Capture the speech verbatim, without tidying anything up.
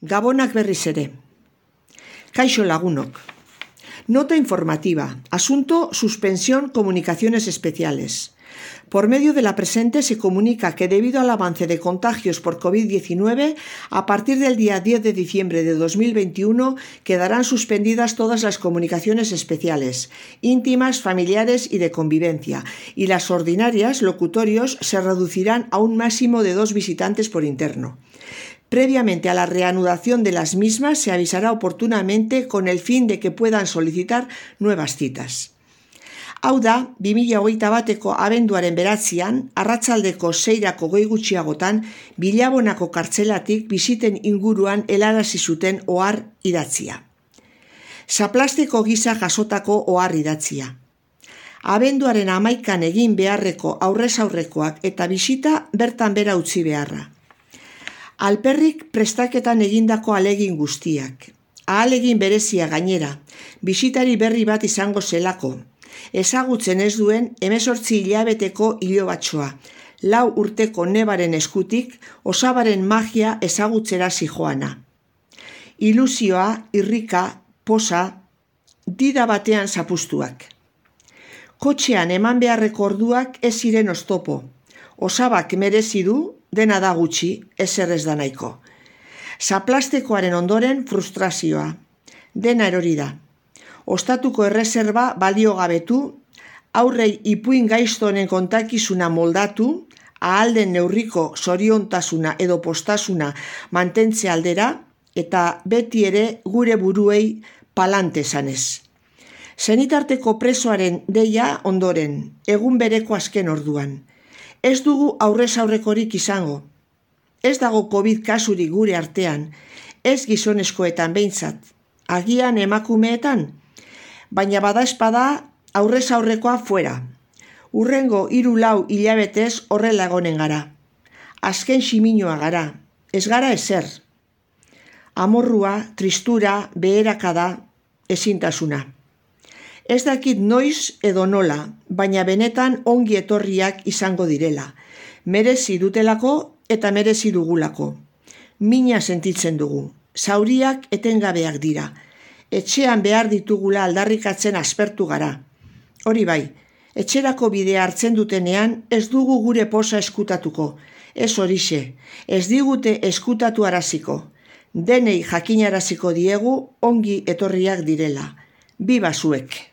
Gabonak berriz ere. Kaixo lagunok. Nota informativa. Asunto: suspensión comunicaciones especiales. Por medio de la presente se comunica que debido al avance de contagios por COVID diecinueve, a partir del día diez de diciembre de dos mil veintiuno quedarán suspendidas todas las comunicaciones especiales, íntimas, familiares y de convivencia, y las ordinarias, locutorios, se reducirán a un máximo de dos visitantes por interno. Previamente a la reanudación de las mismas se avisará oportunamente con el fin de que puedan solicitar nuevas citas. Hau da, bi mila hogeita bateko abenduaren beratzian, arratsaldeko seirako goi gutxiagotan, Bilabonako kartzelatik bisiten inguruan helarazi zuten ohar idatzia. Zaplastiko gisa jasotako ohar idatzia. Abenduaren hamaikan egin beharreko aurrez aurrekoak eta bisita bertan bera utzi beharra. Alperrik prestaketan egindako ahalegin guztiak. Ahalegin berezia gainera, bisitari berri bat izango zelako. Ezagutzen ez duen hemezortzi hilabeteko ilobatxoa, lau urteko nebaren eskutik osabaren magia ezagutzera zijoana. Ilusioa, irrika, posa, dida batean zapustuak. Kotxean eman beharreko orduak ez ziren oztopo. Osabak merezi du, dena da gutxi, ezer ez da nahiko. Zaplastekoaren ondoren frustrazioa. Dena erori da. Ostatuko erreserba baliogabetu, aurrei ipuin gaiztonen kontakizuna moldatu, ahal den neurriko zoriontasuna edo postasuna mantentze aldera, eta beti ere gure buruei palante esanez. Senitarteko presoaren deia ondoren, egun bereko azken orduan. Ez dugu aurrez aurrekorik izango. Ez dago COVID kasurik gure artean, ez gizonezkoetan behintzat, agian emakumeetan, baina badaezpada aurrez aurrekoa fuera. Urrengo hiru lau hilabetez horrela egonen gara. Azken ximinoa gara, ez gara ezer. Amorrua, tristura, beherakada, ezintasuna. Ez dakit noiz edo nola, baina benetan ongi etorriak izango direla. Merezi dutelako eta merezi dugulako. Mina sentitzen dugu. Zauriak etengabeak dira. Etxean behar ditugula aldarrikatzen aspertu gara. Hori bai, etxerako bidea hartzen dutenean ez dugu gure posa eskutatuko. Ez horixe, ez digute eskutatu araziko. Denei jakinaraziko diegu ongi etorriak direla. Biba zuek!